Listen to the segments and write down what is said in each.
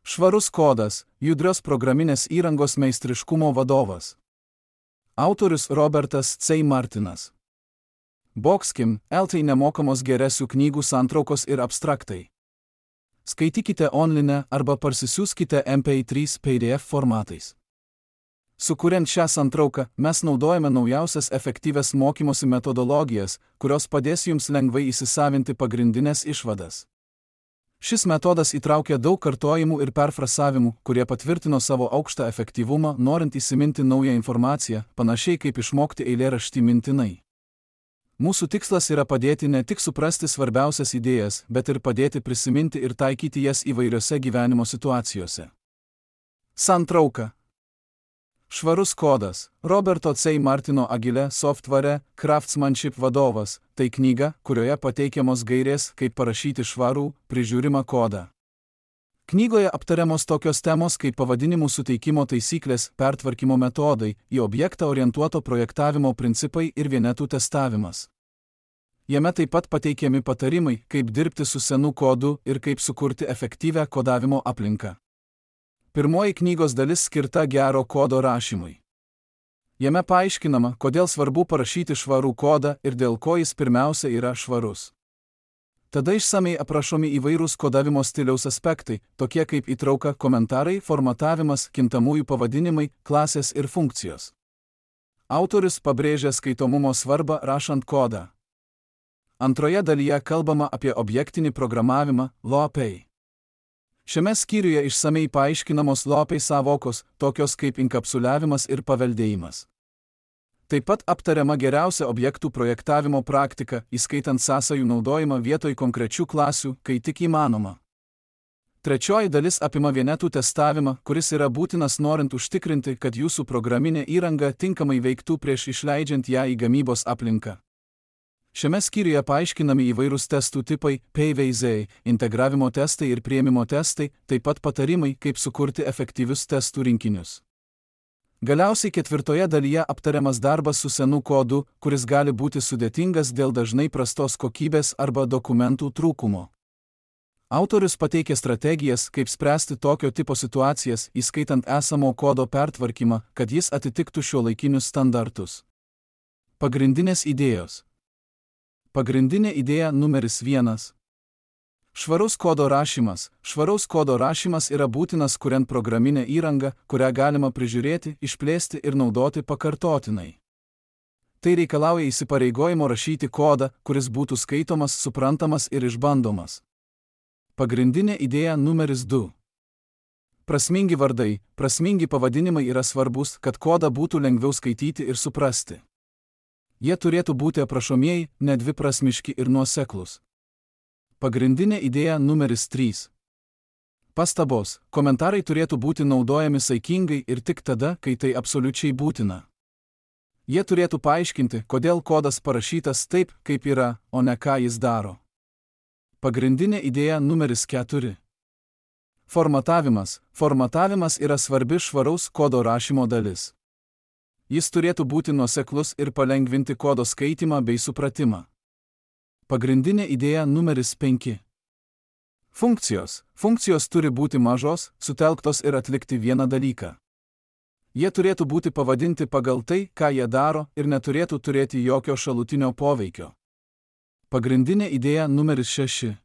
Švarus kodas – judrios programinės įrangos meistriškumo vadovas. Autorius Robertas C. Martinas. Boxkim, LT nemokamos geresių knygų santraukos ir abstraktai. Skaitykite online arba parsisiųskite MP3 PDF formatais. Sukuriant šią santrauką, mes naudojame naujausias efektyvias mokymosi metodologijas, kurios padės jums lengvai įsisavinti pagrindinės išvadas. Šis metodas įtraukia daug kartojimų ir perfrasavimų, kurie patvirtino savo aukštą efektyvumą, norint įsiminti naują informaciją, panašiai kaip išmokti eilėraštį mintinai. Mūsų tikslas yra padėti ne tik suprasti svarbiausias idėjas, bet ir padėti prisiminti ir taikyti jas įvairiose gyvenimo situacijose. Santrauka. Švarus kodas – Roberto C. Martino Agile Software Craftsmanship vadovas – tai knyga, kurioje pateikiamos gairės, kaip parašyti švarų, prižiūrimą kodą. Knygoje aptariamos tokios temos kaip pavadinimų suteikimo taisyklės, pertvarkymo metodai, į objektą orientuoto projektavimo principai ir vienetų testavimas. Jame taip pat pateikiami patarimai, kaip dirbti su senu kodu ir kaip sukurti efektyvią kodavimo aplinką. Pirmoji knygos dalis skirta gero kodo rašymui. Jame paaiškinama, kodėl svarbu parašyti švarų kodą ir dėl ko jis pirmiausia yra švarus. Tada išsamei aprašomi įvairūs kodavimo stiliaus aspektai, tokie kaip įtrauka, komentarai, formatavimas, kintamųjų pavadinimai, klasės ir funkcijos. Autorius pabrėžia skaitomumo svarbą rašant kodą. Antroje dalyje kalbama apie objektinį programavimą, LOPEI. Šiame skyriuje išsamei paaiškinamos LOPEI sąvokos, tokios kaip inkapsuliavimas ir paveldėjimas. Taip pat aptariama geriausia objektų projektavimo praktika, įskaitant sąsajų naudojimą vietoj konkrečių klasių, kai tik įmanoma. Trečioji dalis apima vienetų testavimą, kuris yra būtinas norint užtikrinti, kad jūsų programinė įranga tinkamai veiktų prieš išleidžiant ją į gamybos aplinką. Šiame skyriuje paaiškinami įvairūs testų tipai, PVZ, integravimo testai ir priėmimo testai, taip pat patarimai, kaip sukurti efektyvius testų rinkinius. Galiausiai ketvirtoje dalyje aptariamas darbas su senu kodu, kuris gali būti sudėtingas dėl dažnai prastos kokybės arba dokumentų trūkumo. Autorius pateikia strategijas, kaip spręsti tokio tipo situacijas, įskaitant esamo kodo pertvarkymą, kad jis atitiktų šiuolaikinius standartus. Pagrindinės idėjos. Pagrindinė idėja numeris 1. Švarus kodo rašymas. Švaraus kodo rašymas yra būtinas kuriant programinę įrangą, kurią galima prižiūrėti, išplėsti ir naudoti pakartotinai. Tai reikalauja įsipareigojimo rašyti kodą, kuris būtų skaitomas, suprantamas ir išbandomas. Pagrindinė idėja numeris 2. Prasmingi vardai. Prasmingi pavadinimai yra svarbus, kad kodą būtų lengviau skaityti ir suprasti. Jie turėtų būti aprašomieji, nedviprasmiški ir nuoseklūs. Pagrindinė idėja numeris 3. Pastabos. Komentarai turėtų būti naudojami saikingai ir tik tada, kai tai absoliučiai būtina. Jie turėtų paaiškinti, kodėl kodas parašytas taip, kaip yra, o ne ką jis daro. Pagrindinė idėja numeris 4. Formatavimas. Formatavimas yra svarbi švaraus kodo rašymo dalis. Jis turėtų būti nuoseklus ir palengvinti kodo skaitymą bei supratimą. Pagrindinė idėja numeris 5. Funkcijos. Funkcijos turi būti mažos, sutelktos ir atlikti vieną dalyką. Jie turėtų būti pavadinti pagal tai, ką jie daro, ir neturėtų turėti jokio šalutinio poveikio. Pagrindinė idėja numeris 6.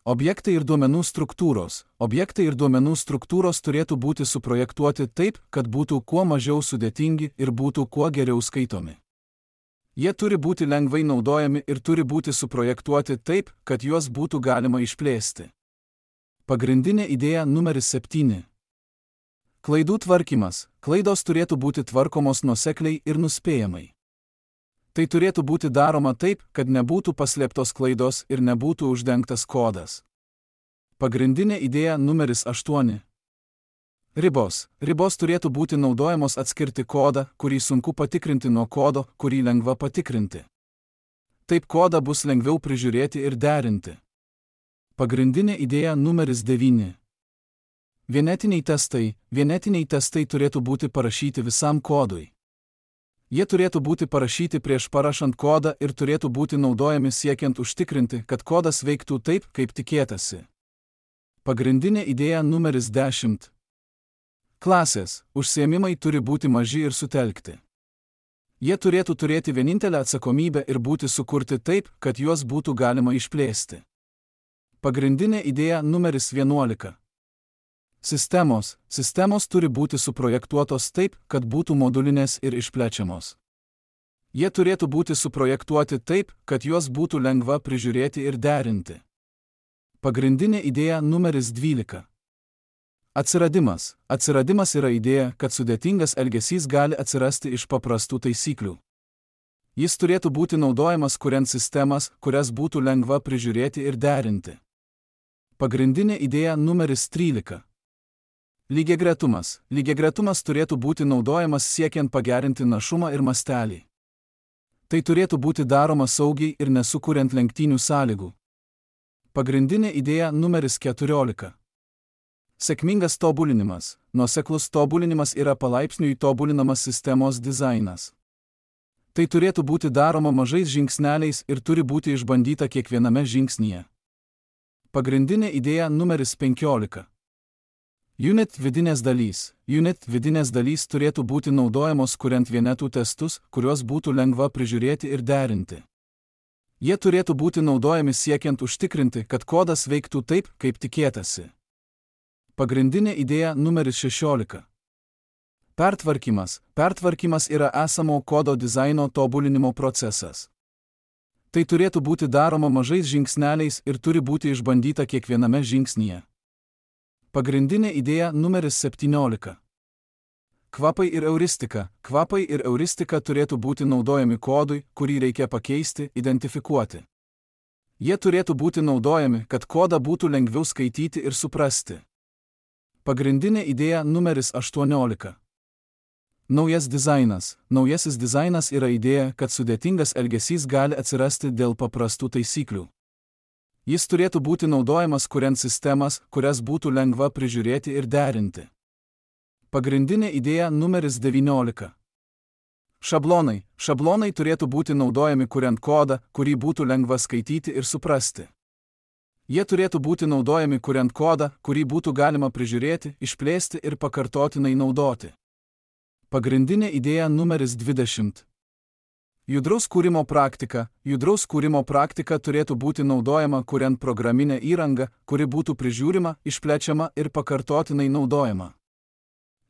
Objektai ir duomenų struktūros. Objektai ir duomenų struktūros turėtų būti suprojektuoti taip, kad būtų kuo mažiau sudėtingi ir būtų kuo geriau skaitomi. Jie turi būti lengvai naudojami ir turi būti suprojektuoti taip, kad juos būtų galima išplėsti. Pagrindinė idėja numeris 7. Klaidų tvarkymas. Klaidos turėtų būti tvarkomos nuosekliai ir nuspėjamai. Tai turėtų būti daroma taip, kad nebūtų paslėptos klaidos ir nebūtų uždengtas kodas. Pagrindinė idėja numeris 8. Ribos. Ribos turėtų būti naudojamos atskirti kodą, kurį sunku patikrinti nuo kodo, kurį lengva patikrinti. Taip kodą bus lengviau prižiūrėti ir derinti. Pagrindinė idėja numeris 9. Vienetiniai testai. Vienetiniai testai turėtų būti parašyti visam kodui. Jie turėtų būti parašyti prieš parašant kodą ir turėtų būti naudojami siekiant užtikrinti, kad kodas veiktų taip, kaip tikėtasi. Pagrindinė idėja numeris 10. Klasės, užsiėmimai turi būti maži ir sutelkti. Jie turėtų turėti vienintelę atsakomybę ir būti sukurti taip, kad juos būtų galima išplėsti. Pagrindinė idėja numeris 11. Sistemos turi būti suprojektuotos taip, kad būtų modulinės ir išplečiamos. Jie turėtų būti suprojektuoti taip, kad juos būtų lengva prižiūrėti ir derinti. Pagrindinė idėja numeris 12. Atsiradimas yra idėja, kad sudėtingas elgesys gali atsirasti iš paprastų taisyklių. Jis turėtų būti naudojamas kuriant sistemas, kurias būtų lengva prižiūrėti ir derinti. Pagrindinė idėja numeris 13. Lygiagretumas turėtų būti naudojamas siekiant pagerinti našumą ir mastelį. Tai turėtų būti daroma saugiai ir nesukuriant lenktynių sąlygų. Pagrindinė idėja numeris 14. Sėkmingas tobulinimas. Nuoseklus tobulinimas yra palaipsniui tobulinamas sistemos dizainas. Tai turėtų būti daroma mažais žingsneliais ir turi būti išbandyta kiekviename žingsnyje. Pagrindinė idėja numeris 15. Unit vidinės dalys turėtų būti naudojamos kuriant vienetų testus, kuriuos būtų lengva prižiūrėti ir derinti. Jie turėtų būti naudojami siekiant užtikrinti, kad kodas veiktų taip, kaip tikėtasi. Pagrindinė idėja numeris 16. Pertvarkymas yra esamo kodo dizaino tobulinimo procesas. Tai turėtų būti daroma mažais žingsneliais ir turi būti išbandyta kiekviename žingsnyje. Pagrindinė idėja numeris 17. Kvapai ir euristika turėtų būti naudojami kodui, kurį reikia pakeisti, identifikuoti. Jie turėtų būti naudojami, kad kodą būtų lengviau skaityti ir suprasti. Pagrindinė idėja numeris 18. Naujasis dizainas yra idėja, kad sudėtingas elgesys gali atsirasti dėl paprastų taisyklių. Jis turėtų būti naudojamas kuriant sistemas, kurias būtų lengva prižiūrėti ir derinti. Pagrindinė idėja numeris 19. Šablonai turėtų būti naudojami kuriant kodą, kurį būtų lengva skaityti ir suprasti. Jie turėtų būti naudojami kuriant kodą, kurį būtų galima prižiūrėti, išplėsti ir pakartotinai naudoti. Pagrindinė idėja numeris 20. Judraus kūrimo praktika turėtų būti naudojama kuriant programinę įrangą, kuri būtų prižiūrima, išplečiama ir pakartotinai naudojama.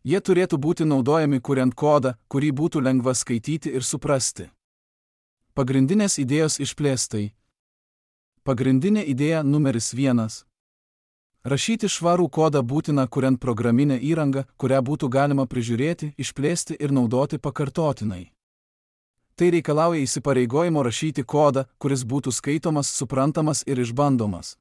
Jie turėtų būti naudojami kuriant kodą, kurį būtų lengva skaityti ir suprasti. Pagrindinės idėjos išplėstai. Pagrindinė idėja numeris 1. Rašyti švarų kodą būtina kuriant programinę įrangą, kurią būtų galima prižiūrėti, išplėsti ir naudoti pakartotinai. Tai reikalauja įsipareigojimo rašyti kodą, kuris būtų skaitomas, suprantamas ir išbandomas.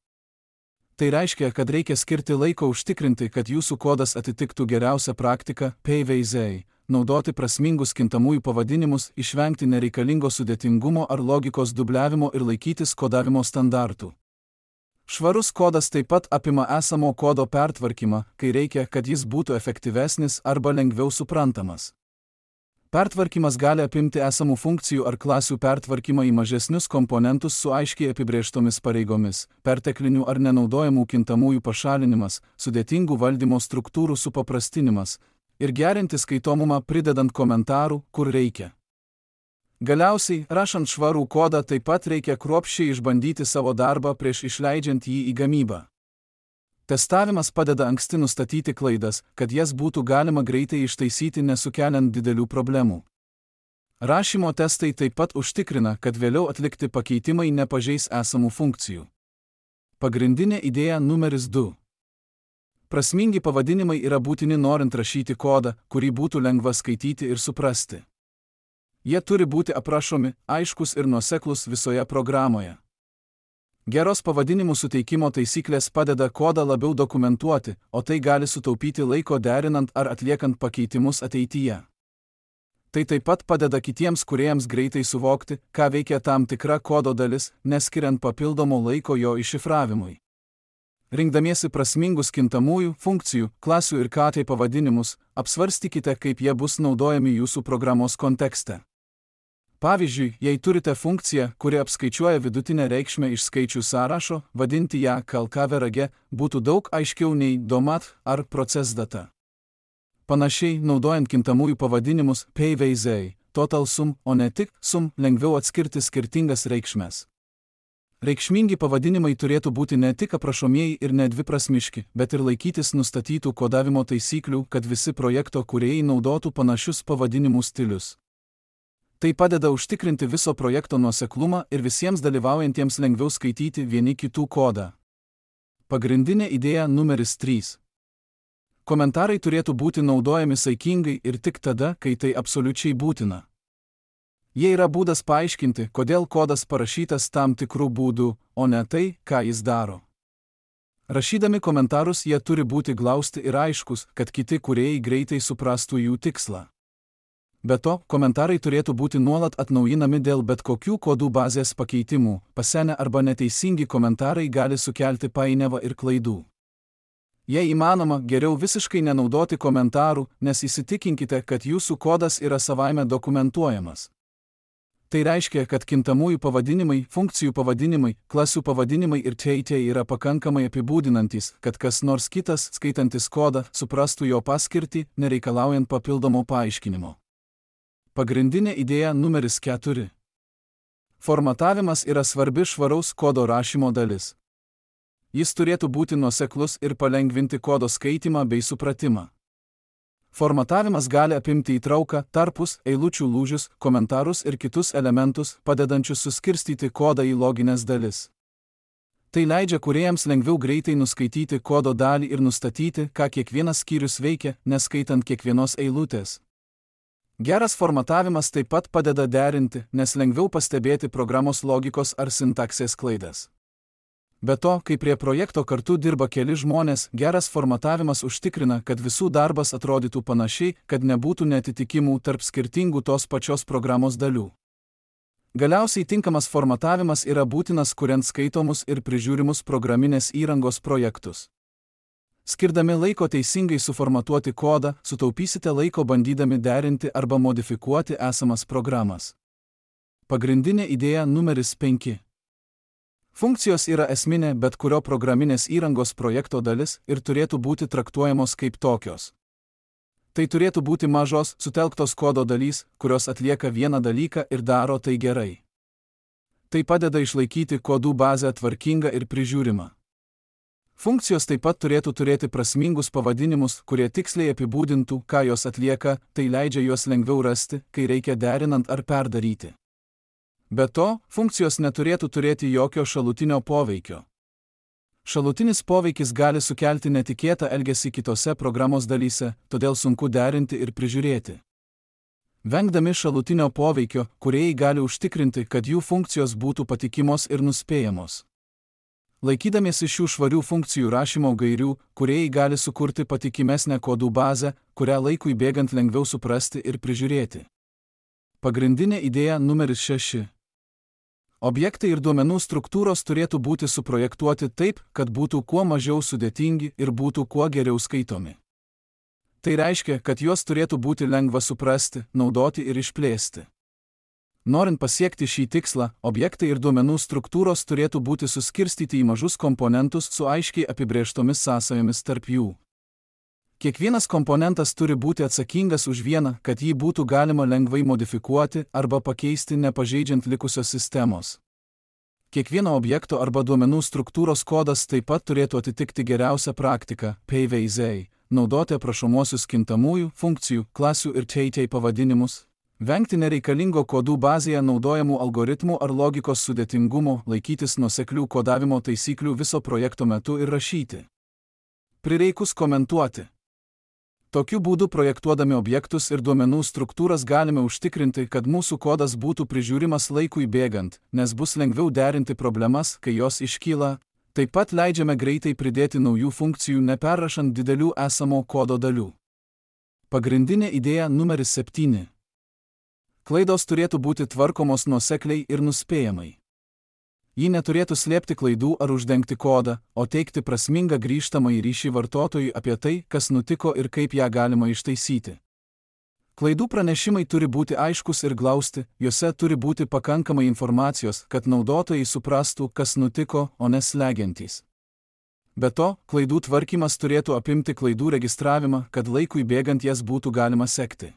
Tai reiškia, kad reikia skirti laiko užtikrinti, kad jūsų kodas atitiktų geriausią praktiką, PVZ, naudoti prasmingus kintamųjų pavadinimus, išvengti nereikalingo sudėtingumo ar logikos dubliavimo ir laikytis kodavimo standartų. Švarus kodas taip pat apima esamo kodo pertvarkymą, kai reikia, kad jis būtų efektyvesnis arba lengviau suprantamas. Pertvarkymas gali apimti esamų funkcijų ar klasių pertvarkymą į mažesnius komponentus su aiškiai apibrėžtomis pareigomis, perteklinių ar nenaudojamų kintamųjų pašalinimas, sudėtingų valdymo struktūrų supaprastinimas ir gerinti skaitomumą pridedant komentarų, kur reikia. Galiausiai, rašant švarų kodą taip pat reikia kruopščiai išbandyti savo darbą prieš išleidžiant jį į gamybą. Testavimas padeda anksti nustatyti klaidas, kad jas būtų galima greitai ištaisyti nesukeliant didelių problemų. Rašymo testai taip pat užtikrina, kad vėliau atlikti pakeitimai nepažeis esamų funkcijų. Pagrindinė idėja numeris 2. Prasmingi pavadinimai yra būtini norint rašyti kodą, kurį būtų lengva skaityti ir suprasti. Jie turi būti aprašomi, aiškus ir nuoseklus visoje programoje. Geros pavadinimų suteikimo taisyklės padeda kodą labiau dokumentuoti, o tai gali sutaupyti laiko derinant ar atliekant pakeitimus ateityje. Tai taip pat padeda kitiems kūrėjams greitai suvokti, ką veikia tam tikra kodo dalis, neskiriant papildomo laiko jo iššifravimui. Rinkdamiesi prasmingus kintamųjų, funkcijų, klasių ir KT pavadinimus, apsvarstykite, kaip jie bus naudojami jūsų programos kontekste. Pavyzdžiui, jei turite funkciją, kuri apskaičiuoja vidutinę reikšmę iš skaičių sąrašo, vadinti ją KLKVRG būtų daug aiškiau nei DOMAT ar process data. Panašiai, naudojant kintamųjų pavadinimus PVZ, total sum, o ne tik sum, lengviau atskirti skirtingas reikšmes. Reikšmingi pavadinimai turėtų būti ne tik aprašomieji ir nedviprasmiški, bet ir laikytis nustatytų kodavimo taisyklių, kad visi projekto kūrėjai naudotų panašius pavadinimų stilius. Tai padeda užtikrinti viso projekto nuoseklumą ir visiems dalyvaujantiems lengviau skaityti vieni kitų kodą. Pagrindinė idėja numeris 3. Komentarai turėtų būti naudojami saikingai ir tik tada, kai tai absoliučiai būtina. Jie yra būdas paaiškinti, kodėl kodas parašytas tam tikrų būdų, o ne tai, ką jis daro. Rašydami komentarus jie turi būti glausti ir aiškus, kad kiti kūrėjai greitai suprastų jų tikslą. Be to, komentarai turėtų būti nuolat atnaujinami dėl bet kokių kodų bazės pakeitimų, pasenę arba neteisingi komentarai gali sukelti painiavą ir klaidų. Jei įmanoma, geriau visiškai nenaudoti komentarų, nes įsitikinkite, kad jūsų kodas yra savaime dokumentuojamas. Tai reiškia, kad kintamųjų pavadinimai, funkcijų pavadinimai, klasių pavadinimai ir teitė yra pakankamai apibūdinantys, kad kas nors kitas, skaitantis kodą, suprastų jo paskirtį, nereikalaujant papildomo paaiškinimo. Pagrindinė idėja numeris 4. Formatavimas yra svarbi švaraus kodo rašymo dalis. Jis turėtų būti nuoseklus ir palengvinti kodo skaitimą bei supratimą. Formatavimas gali apimti įtrauką, tarpus, eilučių lūžius, komentarus ir kitus elementus, padedančius suskirstyti kodą į logines dalis. Tai leidžia kūrėjams lengviau greitai nuskaityti kodo dalį ir nustatyti, ką kiekvienas skyrius veikia, neskaitant kiekvienos eilutės. Geras formatavimas taip pat padeda derinti, nes lengviau pastebėti programos logikos ar sintaksės klaidas. Be to, kai prie projekto kartu dirba keli žmonės, geras formatavimas užtikrina, kad visų darbas atrodytų panašiai, kad nebūtų neatitikimų tarp skirtingų tos pačios programos dalių. Galiausiai tinkamas formatavimas yra būtinas kuriant skaitomus ir prižiūrimus programinės įrangos projektus. Skirdami laiko teisingai suformatuoti kodą, sutaupysite laiko bandydami derinti arba modifikuoti esamas programas. Pagrindinė idėja numeris 5. Funkcijos yra esminė bet kurio programinės įrangos projekto dalis ir turėtų būti traktuojamos kaip tokios. Tai turėtų būti mažos, sutelktos kodo dalys, kurios atlieka vieną dalyką ir daro tai gerai. Tai padeda išlaikyti kodų bazę tvarkingą ir prižiūrimą. Funkcijos taip pat turėtų turėti prasmingus pavadinimus, kurie tiksliai apibūdintų, ką jos atlieka, tai leidžia juos lengviau rasti, kai reikia derinant ar perdaryti. Be to, funkcijos neturėtų turėti jokio šalutinio poveikio. Šalutinis poveikis gali sukelti netikėtą elgesį kitose programos dalyse, todėl sunku derinti ir prižiūrėti. Vengdami šalutinio poveikio, kūrėjai gali užtikrinti, kad jų funkcijos būtų patikimos ir nuspėjamos. Laikydamiesi šių švarių funkcijų rašymo gairių, kūrėjai gali sukurti patikimesnę kodų bazę, kurią laikui bėgant lengviau suprasti ir prižiūrėti. Pagrindinė idėja numeris 6. Objektai ir duomenų struktūros turėtų būti suprojektuoti taip, kad būtų kuo mažiau sudėtingi ir būtų kuo geriau skaitomi. Tai reiškia, kad juos turėtų būti lengva suprasti, naudoti ir išplėsti. Norint pasiekti šį tikslą, objektai ir duomenų struktūros turėtų būti suskirstyti į mažus komponentus su aiškiai apibrėžtomis sąsajomis tarp jų. Kiekvienas komponentas turi būti atsakingas už vieną, kad jį būtų galima lengvai modifikuoti arba pakeisti nepažeidžiant likusios sistemos. Kiekvieno objekto arba duomenų struktūros kodas taip pat turėtų atitikti geriausią praktiką PVZ, naudoti aprašomuosius kintamųjų, funkcijų, klasių ir teitei pavadinimus, vengti nereikalingo kodų bazėje naudojamų algoritmų ar logikos sudėtingumo, laikytis nuoseklių kodavimo taisyklių viso projekto metu ir rašyti. Prireikus komentuoti. Tokiu būdu projektuodami objektus ir duomenų struktūras galime užtikrinti, kad mūsų kodas būtų prižiūrimas laikui bėgant, nes bus lengviau derinti problemas, kai jos iškyla. Taip pat leidžiame greitai pridėti naujų funkcijų neperrašant didelių esamo kodo dalių. Pagrindinė idėja numeris 7. Klaidos turėtų būti tvarkomos nuosekliai ir nuspėjamai. Ji neturėtų slėpti klaidų ar uždengti kodą, o teikti prasmingą grįžtamąjį ryšį vartotojui apie tai, kas nutiko ir kaip ją galima ištaisyti. Klaidų pranešimai turi būti aiškus ir glausti, juose turi būti pakankamai informacijos, kad naudotojai suprastų, kas nutiko, o ne slegiantys. Be to, klaidų tvarkymas turėtų apimti klaidų registravimą, kad laikui bėgant jas būtų galima sekti.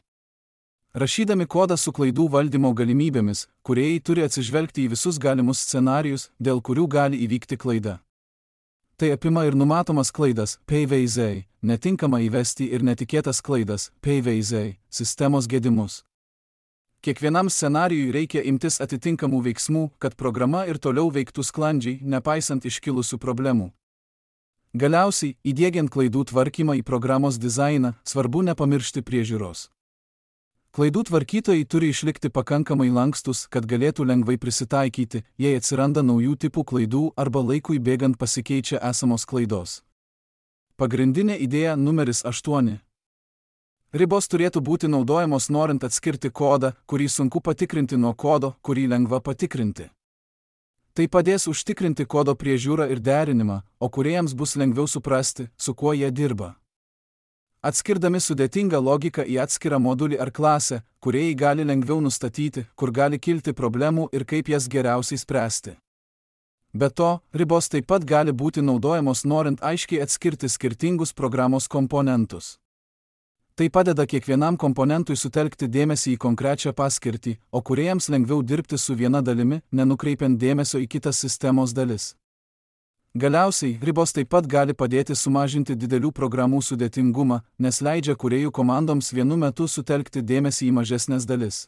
Rašydami kodą su klaidų valdymo galimybėmis, kūrėjai turi atsižvelgti į visus galimus scenarijus, dėl kurių gali įvykti klaida. Tai apima ir numatomas klaidas, PVZ, netinkamą įvesti ir netikėtas klaidas, PVZ, sistemos gedimus. Kiekvienam scenarijui reikia imtis atitinkamų veiksmų, kad programa ir toliau veiktų sklandžiai, nepaisant iškilusių problemų. Galiausiai, įdiegiant klaidų tvarkymą į programos dizainą, svarbu nepamiršti priežiūros. Klaidų tvarkytojai turi išlikti pakankamai lankstus, kad galėtų lengvai prisitaikyti, jei atsiranda naujų tipų klaidų arba laikui bėgant pasikeičia esamos klaidos. Pagrindinė idėja numeris 8. Ribos turėtų būti naudojamos norint atskirti kodą, kurį sunku patikrinti nuo kodo, kurį lengva patikrinti. Tai padės užtikrinti kodo priežiūrą ir derinimą, o kūrėjams bus lengviau suprasti, su kuo jie dirba. Atskirdami sudėtingą logiką į atskirą modulį ar klasę, kūrėjai gali lengviau nustatyti, kur gali kilti problemų ir kaip jas geriausiai spręsti. Be to, ribos taip pat gali būti naudojamos norint aiškiai atskirti skirtingus programos komponentus. Tai padeda kiekvienam komponentui sutelkti dėmesį į konkrečią paskirtį, o kūrėjams lengviau dirbti su viena dalimi, nenukreipiant dėmesio į kitas sistemos dalis. Galiausiai, ribos taip pat gali padėti sumažinti didelių programų sudėtingumą, nes leidžia kūrėjų komandoms vienu metu sutelkti dėmesį į mažesnes dalis.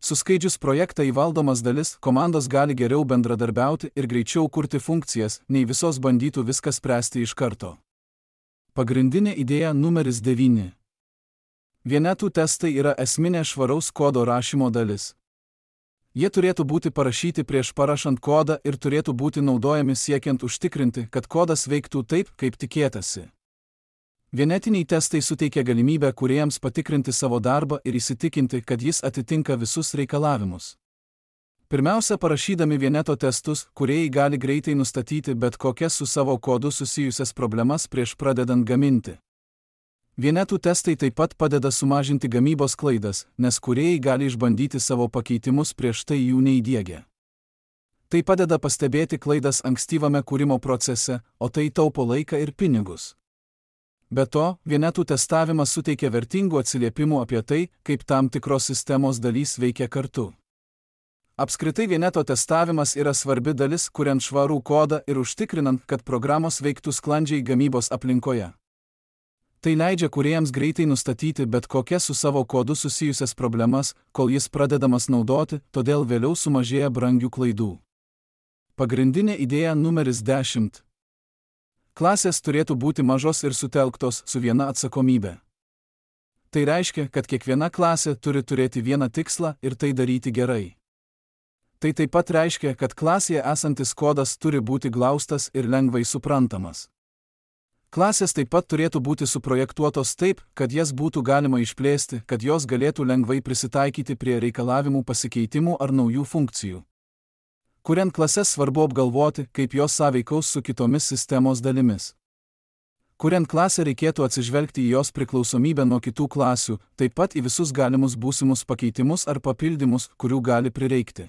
Suskaidžius projektą į valdomas dalis, komandos gali geriau bendradarbiauti ir greičiau kurti funkcijas, nei visos bandytų viską spręsti iš karto. Pagrindinė idėja numeris 9. Vienetų testai yra esminė švaraus kodo rašymo dalis. Jie turėtų būti parašyti prieš parašant kodą ir turėtų būti naudojami siekiant užtikrinti, kad kodas veiktų taip, kaip tikėtasi. Vienetiniai testai suteikia galimybę kūrėjams patikrinti savo darbą ir įsitikinti, kad jis atitinka visus reikalavimus. Pirmiausia, parašydami vieneto testus, kūrėjai gali greitai nustatyti bet kokias su savo kodu susijusias problemas prieš pradedant gaminti. Vienetų testai taip pat padeda sumažinti gamybos klaidas, nes kūrėjai gali išbandyti savo pakeitimus prieš tai jų neįdiegę. Tai padeda pastebėti klaidas ankstyvame kūrimo procese, o tai taupo laiką ir pinigus. Be to, vienetų testavimas suteikia vertingų atsiliepimų apie tai, kaip tam tikros sistemos dalys veikia kartu. Apskritai vieneto testavimas yra svarbi dalis, kuriant švarų kodą ir užtikrinant, kad programos veiktų sklandžiai gamybos aplinkoje. Tai leidžia kūrėjams greitai nustatyti bet kokias su savo kodu susijusias problemas, kol jis pradedamas naudoti, todėl vėliau sumažėja brangių klaidų. Pagrindinė idėja numeris 10. Klasės turėtų būti mažos ir sutelktos su viena atsakomybė. Tai reiškia, kad kiekviena klasė turi turėti vieną tikslą ir tai daryti gerai. Tai taip pat reiškia, kad klasėje esantis kodas turi būti glaustas ir lengvai suprantamas. Klasės taip pat turėtų būti suprojektuotos taip, kad jas būtų galima išplėsti, kad jos galėtų lengvai prisitaikyti prie reikalavimų pasikeitimų ar naujų funkcijų. Kuriant klases svarbu apgalvoti, kaip jos sąveikaus su kitomis sistemos dalimis. Kuriant klasę reikėtų atsižvelgti į jos priklausomybę nuo kitų klasių, taip pat į visus galimus būsimus pakeitimus ar papildymus, kurių gali prireikti.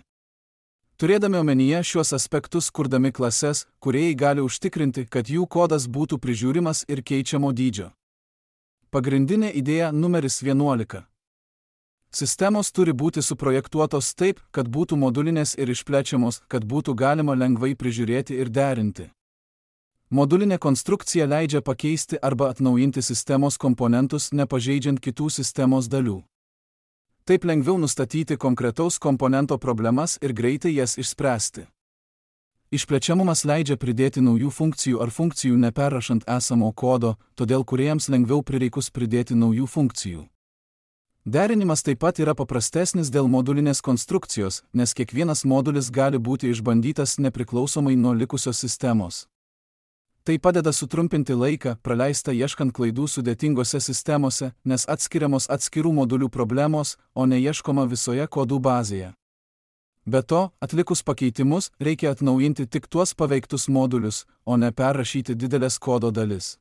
Turėdami omenyje šiuos aspektus kurdami klases, kūrėjai gali užtikrinti, kad jų kodas būtų prižiūrimas ir keičiamo dydžio. Pagrindinė idėja numeris 11. Sistemos turi būti suprojektuotos taip, kad būtų modulinės ir išplečiamos, kad būtų galima lengvai prižiūrėti ir derinti. Modulinė konstrukcija leidžia pakeisti arba atnaujinti sistemos komponentus, nepažeidžiant kitų sistemos dalių. Taip lengviau nustatyti konkretaus komponento problemas ir greitai jas išspręsti. Išplečiamumas leidžia pridėti naujų funkcijų ar funkcijų neperrašant esamo kodo, todėl kūrėjams lengviau prireikus pridėti naujų funkcijų. Derinimas taip pat yra paprastesnis dėl modulinės konstrukcijos, nes kiekvienas modulis gali būti išbandytas nepriklausomai nuo likusios sistemos. Tai padeda sutrumpinti laiką, praleistą ieškant klaidų sudėtingose sistemose, nes atskiriamos atskirų modulių problemos, o ne ieškoma visoje kodų bazėje. Be to, atlikus pakeitimus, reikia atnaujinti tik tuos paveiktus modulius, o ne perrašyti didelės kodo dalis.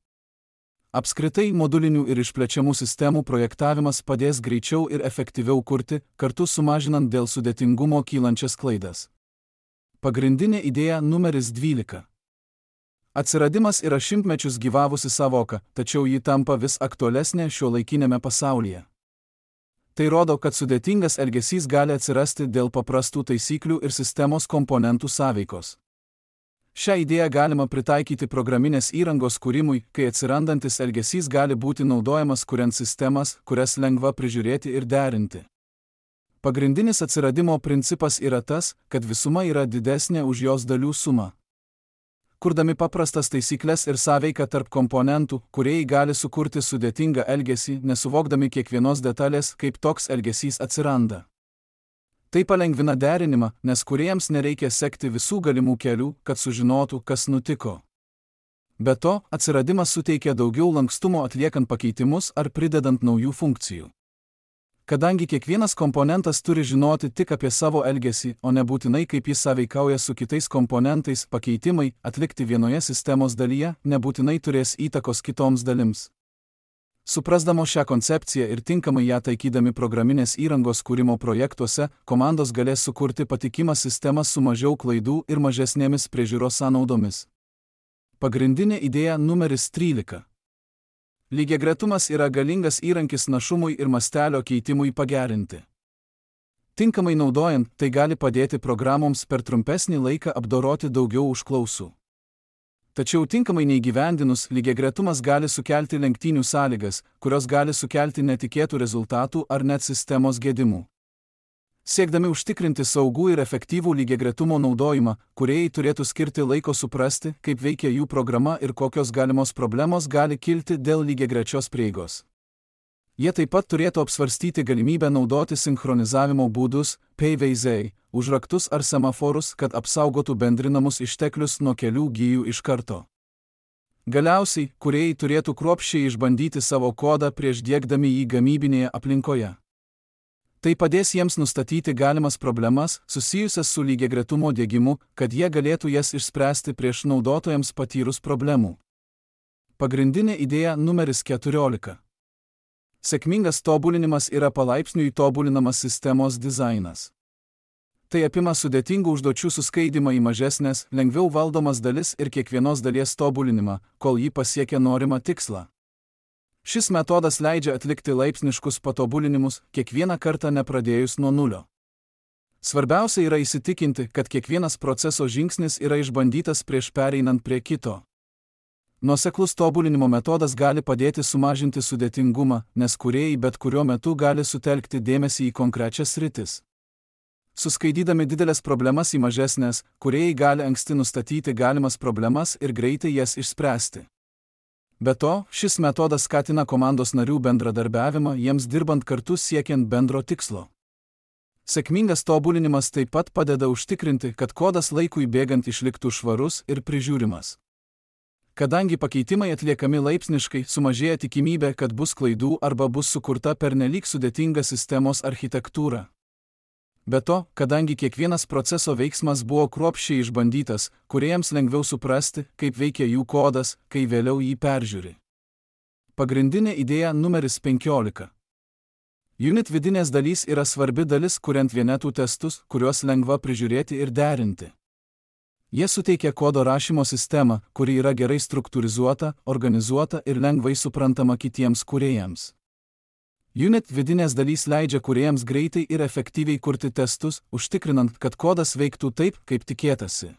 Apskritai modulinių ir išplečiamų sistemų projektavimas padės greičiau ir efektyviau kurti, kartu sumažinant dėl sudėtingumo kylančias klaidas. Pagrindinė idėja numeris 12. Atsiradimas yra šimtmečius gyvavusi savoka, tačiau ji tampa vis aktualesnė šiuolaikinėme pasaulyje. Tai rodo, kad sudėtingas elgesys gali atsirasti dėl paprastų taisyklių ir sistemos komponentų sąveikos. Šią idėją galima pritaikyti programinės įrangos kūrimui, kai atsirandantis elgesys gali būti naudojamas kuriant sistemas, kurias lengva prižiūrėti ir derinti. Pagrindinis atsiradimo principas yra tas, kad visuma yra didesnė už jos dalių sumą. Kurdami paprastas taisyklės ir sąveiką tarp komponentų, kūrėjai gali sukurti sudėtingą elgesį, nesuvokdami kiekvienos detalės, kaip toks elgesys atsiranda. Tai palengvina derinimą, nes kūrėjams nereikia sekti visų galimų kelių, kad sužinotų, kas nutiko. Be to, atsiradimas suteikia daugiau lankstumo atliekant pakeitimus ar pridedant naujų funkcijų. Kadangi kiekvienas komponentas turi žinoti tik apie savo elgesį, o nebūtinai kaip jis sąveikauja su kitais komponentais, pakeitimai, atlikti vienoje sistemos dalyje, nebūtinai turės įtakos kitoms dalims. Suprasdamos šią koncepciją ir tinkamai ją taikydami programinės įrangos kūrimo projektuose, komandos galės sukurti patikimą sistemą su mažiau klaidų ir mažesnėmis priežiūros sąnaudomis. Pagrindinė idėja numeris 13. Lygiagretumas yra galingas įrankis našumui ir mastelio keitimui pagerinti. Tinkamai naudojant, tai gali padėti programoms per trumpesnį laiką apdoroti daugiau užklausų. Tačiau tinkamai neįgyvendinus, lygiagretumas gali sukelti lenktynių sąlygas, kurios gali sukelti netikėtų rezultatų ar net sistemos gedimų. Siekdami užtikrinti saugų ir efektyvų lygiagretumo naudojimą, kūrėjai turėtų skirti laiko suprasti, kaip veikia jų programa ir kokios galimos problemos gali kilti dėl lygiagrečios prieigos. Jie taip pat turėtų apsvarstyti galimybę naudoti sinchronizavimo būdus, PVZ, užraktus ar semaforus, kad apsaugotų bendrinamus išteklius nuo kelių gijų iš karto. Galiausiai, kūrėjai turėtų kruopščiai išbandyti savo kodą prieš diegdami jį gamybinėje aplinkoje. Tai padės jiems nustatyti galimas problemas, susijusias su lygiagretumo diegimu, kad jie galėtų jas išspręsti prieš naudotojams patyrus problemų. Pagrindinė idėja numeris 14. Sėkmingas tobulinimas yra palaipsniui tobulinamas sistemos dizainas. Tai apima sudėtingų užduočių suskaidymą į mažesnės, lengviau valdomas dalis ir kiekvienos dalies tobulinimą, kol ji pasiekia norimą tikslą. Šis metodas leidžia atlikti laipsniškus patobulinimus, kiekvieną kartą nepradėjus nuo nulio. Svarbiausia yra įsitikinti, kad kiekvienas proceso žingsnis yra išbandytas prieš pereinant prie kito. Nuoseklus tobulinimo metodas gali padėti sumažinti sudėtingumą, nes kūrėjai bet kuriuo metu gali sutelkti dėmesį į konkrečias sritis. Suskaidydami didelės problemas į mažesnės, kūrėjai gali anksti nustatyti galimas problemas ir greitai jas išspręsti. Be to, šis metodas skatina komandos narių bendradarbiavimą jiems dirbant kartu siekiant bendro tikslo. Sėkmingas tobulinimas taip pat padeda užtikrinti, kad kodas laikui bėgant išliktų švarus ir prižiūrimas. Kadangi pakeitimai atliekami laipsniškai, sumažėja tikimybė, kad bus klaidų arba bus sukurta pernelyg sudėtinga sistemos architektūra. Be to, kadangi kiekvienas proceso veiksmas buvo kruopščiai išbandytas, kūrėjams lengviau suprasti, kaip veikia jų kodas, kai vėliau jį peržiūri. Pagrindinė idėja numeris 15. Unit vidinės dalys yra svarbi dalis, kuriant vienetų testus, kuriuos lengva prižiūrėti ir derinti. Jie suteikia kodo rašymo sistemą, kuri yra gerai struktūrizuota, organizuota ir lengvai suprantama kitiems kūrėjams. Unit vidinės dalys leidžia kūrėjams greitai ir efektyviai kurti testus, užtikrinant, kad kodas veiktų taip, kaip tikėtasi.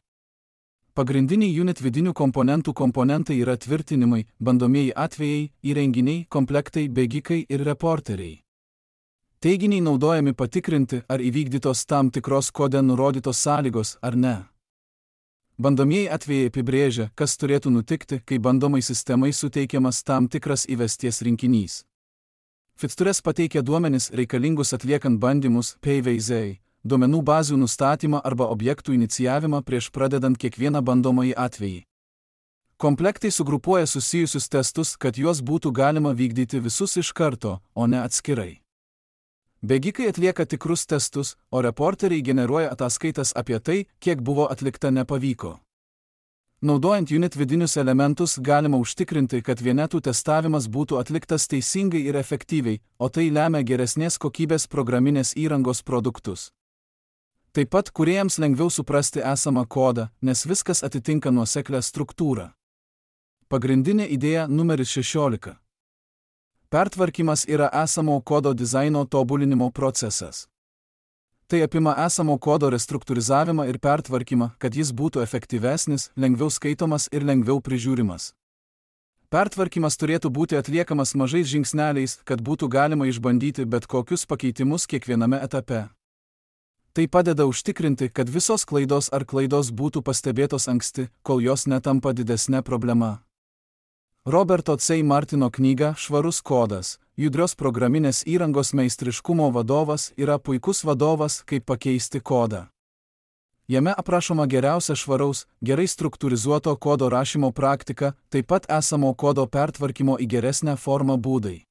Pagrindiniai unit vidinių komponentų komponentai yra tvirtinimai, bandomieji atvejai, įrenginiai, komplektai, bėgikai ir reporteriai. Teiginiai naudojami patikrinti, ar įvykdytos tam tikros kode nurodytos sąlygos ar ne. Bandomieji atvejai apibrėžia, kas turėtų nutikti, kai bandomai sistemai suteikiamas tam tikras įvesties rinkinys. Features pateikia duomenis reikalingus atliekant bandymus, PVZ, duomenų bazių nustatymą arba objektų inicijavimą prieš pradedant kiekvieną bandomąjį atvejį. Komplektai sugrupuoja susijusius testus, kad juos būtų galima vykdyti visus iš karto, o ne atskirai. Bėgikai atlieka tikrus testus, o reporteriai generuoja ataskaitas apie tai, kiek buvo atlikta nepavyko. Naudojant unit vidinius elementus galima užtikrinti, kad vienetų testavimas būtų atliktas teisingai ir efektyviai, o tai lemia geresnės kokybės programinės įrangos produktus. Taip pat kūrėjams lengviau suprasti esamą kodą, nes viskas atitinka nuoseklią struktūrą. Pagrindinė idėja numeris 16. Pertvarkymas yra esamo kodo dizaino tobulinimo procesas. Tai apima esamo kodo restruktūrizavimą ir pertvarkymą, kad jis būtų efektyvesnis, lengviau skaitomas ir lengviau prižiūrimas. Pertvarkymas turėtų būti atliekamas mažais žingsneliais, kad būtų galima išbandyti bet kokius pakeitimus kiekviename etape. Tai padeda užtikrinti, kad visos klaidos ar klaidos būtų pastebėtos anksti, kol jos netampa didesnė problema. Roberto C. Martino knyga Švarus kodas, judrios programinės įrangos meistriškumo vadovas yra puikus vadovas, kaip pakeisti kodą. Jame aprašoma geriausia švaraus, gerai struktūrizuoto kodo rašymo praktika, taip pat esamo kodo pertvarkymo į geresnę formą būdai.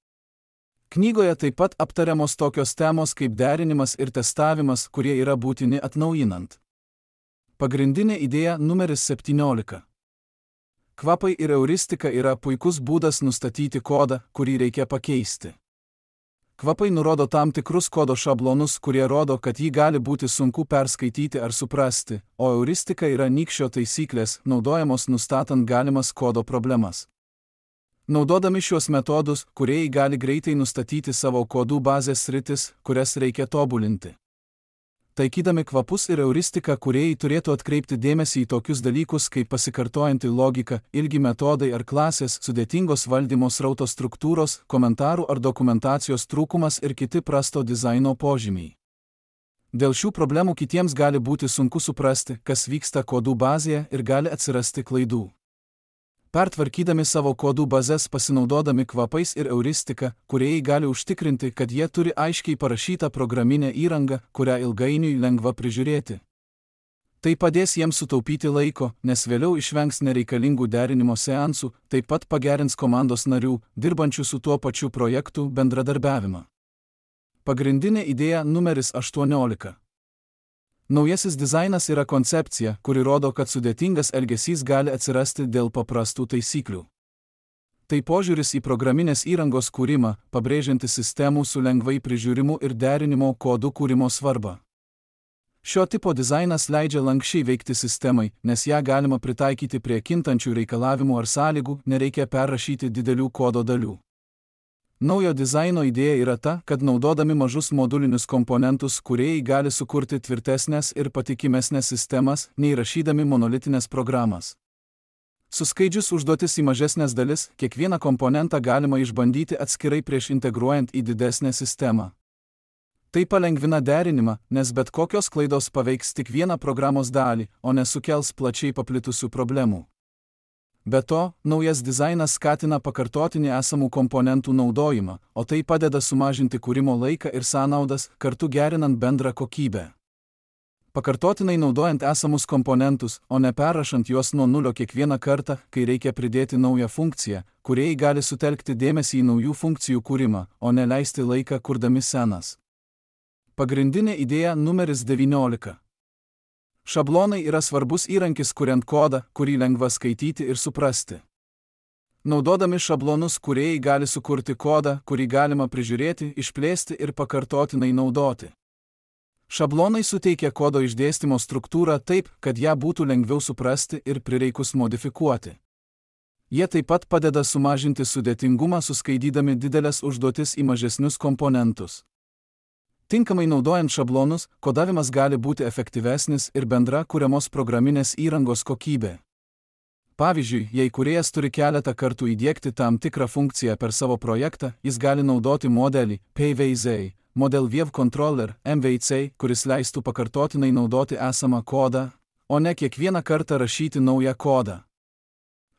Knygoje taip pat aptariamos tokios temos kaip derinimas ir testavimas, kurie yra būtini atnaujinant. Pagrindinė idėja numeris 17. Kvapai ir euristika yra puikus būdas nustatyti kodą, kurį reikia pakeisti. Kvapai nurodo tam tikrus kodo šablonus, kurie rodo, kad jį gali būti sunku perskaityti ar suprasti, o euristika yra nykščio taisyklės, naudojamos nustatant galimas kodo problemas. Naudodami šiuos metodus, kūrėjai gali greitai nustatyti savo kodų bazės sritis, kurias reikia tobulinti. Taikydami kvapus ir euristiką, kūrėjai turėtų atkreipti dėmesį į tokius dalykus kaip pasikartojanti logika, ilgi metodai ar klasės, sudėtingos valdymo srauto struktūros, komentarų ar dokumentacijos trūkumas ir kiti prasto dizaino požymiai. Dėl šių problemų kitiems gali būti sunku suprasti, kas vyksta kodų bazėje ir gali atsirasti klaidų. Pertvarkydami savo kodų bazes pasinaudodami kvapais ir euristika, kūrėjai gali užtikrinti, kad jie turi aiškiai parašytą programinę įrangą, kurią ilgainiui lengva prižiūrėti. Tai padės jiems sutaupyti laiko, nes vėliau išvengs nereikalingų derinimo seansų, taip pat pagerins komandos narių, dirbančių su tuo pačiu projektu, bendradarbiavimą. Pagrindinė idėja numeris 18. Naujasis dizainas yra koncepcija, kuri rodo, kad sudėtingas elgesys gali atsirasti dėl paprastų taisyklių. Tai požiūris į programinės įrangos kūrimą, pabrėžiantis sistemų su lengvai prižiūrimu ir derinimo kodų kūrimo svarbą. Šio tipo dizainas leidžia lankščiai veikti sistemai, nes ją galima pritaikyti prie kintančių reikalavimų ar sąlygų, nereikia perrašyti didelių kodo dalių. Naujo dizaino idėja yra ta, kad naudodami mažus modulinius komponentus, kūrėjai gali sukurti tvirtesnės ir patikimesnės sistemas, nei rašydami monolitinės programas. Suskaidžius užduotis į mažesnės dalis, kiekvieną komponentą galima išbandyti atskirai prieš integruojant į didesnę sistemą. Tai palengvina derinimą, nes bet kokios klaidos paveiks tik vieną programos dalį, o nesukels plačiai paplitusių problemų. Be to, naujas dizainas skatina pakartotinį esamų komponentų naudojimą, o tai padeda sumažinti kūrimo laiką ir sąnaudas, kartu gerinant bendrą kokybę. Pakartotinai naudojant esamus komponentus, o ne perrašant juos nuo nulio kiekvieną kartą, kai reikia pridėti naują funkciją, kūrėjai gali sutelkti dėmesį į naujų funkcijų kūrimą, o ne leisti laiką kurdami senas. Pagrindinė idėja numeris 19. Šablonai yra svarbus įrankis kuriant kodą, kurį lengva skaityti ir suprasti. Naudodami šablonus kūrėjai gali sukurti kodą, kurį galima prižiūrėti, išplėsti ir pakartotinai naudoti. Šablonai suteikia kodo išdėstymo struktūrą taip, kad ją būtų lengviau suprasti ir prireikus modifikuoti. Jie taip pat padeda sumažinti sudėtingumą suskaidydami didelės užduotis į mažesnius komponentus. Tinkamai naudojant šablonus, kodavimas gali būti efektyvesnis ir bendra kuriamos programinės įrangos kokybė. Pavyzdžiui, jei kūrėjas turi keletą kartų įdiegti tam tikrą funkciją per savo projektą, jis gali naudoti modelį PVZ, Model View Controller, MVC, kuris leistų pakartotinai naudoti esamą kodą, o ne kiekvieną kartą rašyti naują kodą.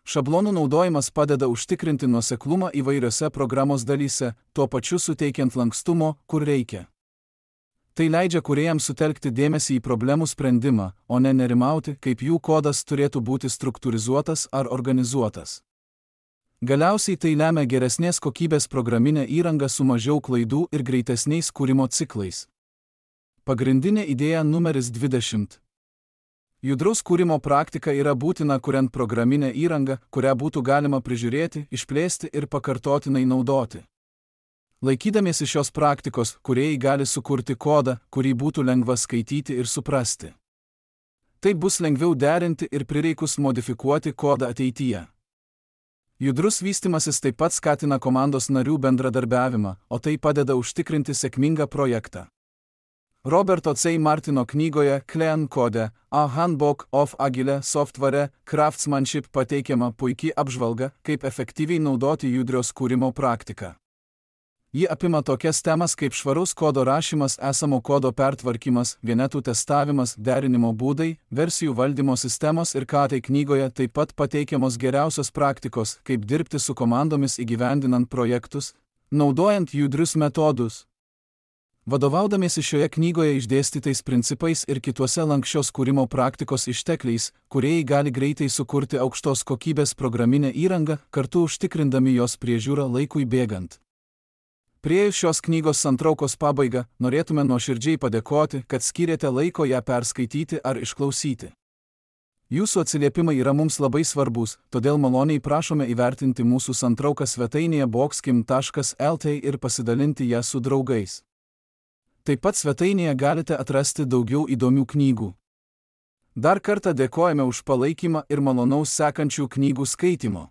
Šablonų naudojimas padeda užtikrinti nuoseklumą įvairiose programos dalyse, tuo pačiu suteikiant lankstumo, kur reikia. Tai leidžia kūrėjams sutelkti dėmesį į problemų sprendimą, o ne nerimauti, kaip jų kodas turėtų būti struktūrizuotas ar organizuotas. Galiausiai tai lemia geresnės kokybės programinę įrangą su mažiau klaidų ir greitesniais kūrimo ciklais. Pagrindinė idėja numeris 20. Judraus kūrimo praktika yra būtina kuriant programinę įrangą, kurią būtų galima prižiūrėti, išplėsti ir pakartotinai naudoti. Laikydamiesi šios praktikos, kūrėjai gali sukurti kodą, kurį būtų lengva skaityti ir suprasti. Tai bus lengviau derinti ir prireikus modifikuoti kodą ateityje. Judrus vystymasis taip pat skatina komandos narių bendradarbiavimą, o tai padeda užtikrinti sėkmingą projektą. Roberto C. Martino knygoje Clean Code, A Handbook of Agile Software Craftsmanship pateikiama puikiai apžvalga, kaip efektyviai naudoti judrios kūrimo praktiką. Ji apima tokias temas kaip švarus kodo rašymas, esamo kodo pertvarkymas, vienetų testavimas, derinimo būdai, versijų valdymo sistemos ir ką tai knygoje taip pat pateikiamos geriausios praktikos, kaip dirbti su komandomis įgyvendinant projektus, naudojant judrius metodus. Vadovaudamiesi šioje knygoje išdėstytais principais ir kituose lanksčios kūrimo praktikos ištekliais, kūrėjai gali greitai sukurti aukštos kokybės programinę įrangą, kartu užtikrindami jos priežiūrą laikui bėgant. Priėjus šios knygos santraukos pabaigą, norėtume nuoširdžiai padėkoti, kad skyrėte laiko ją perskaityti ar išklausyti. Jūsų atsiliepimai yra mums labai svarbus, todėl maloniai prašome įvertinti mūsų santrauką svetainėje boxkim.lt ir pasidalinti ją su draugais. Taip pat svetainėje galite atrasti daugiau įdomių knygų. Dar kartą dėkojame už palaikymą ir malonaus sekančių knygų skaitimo.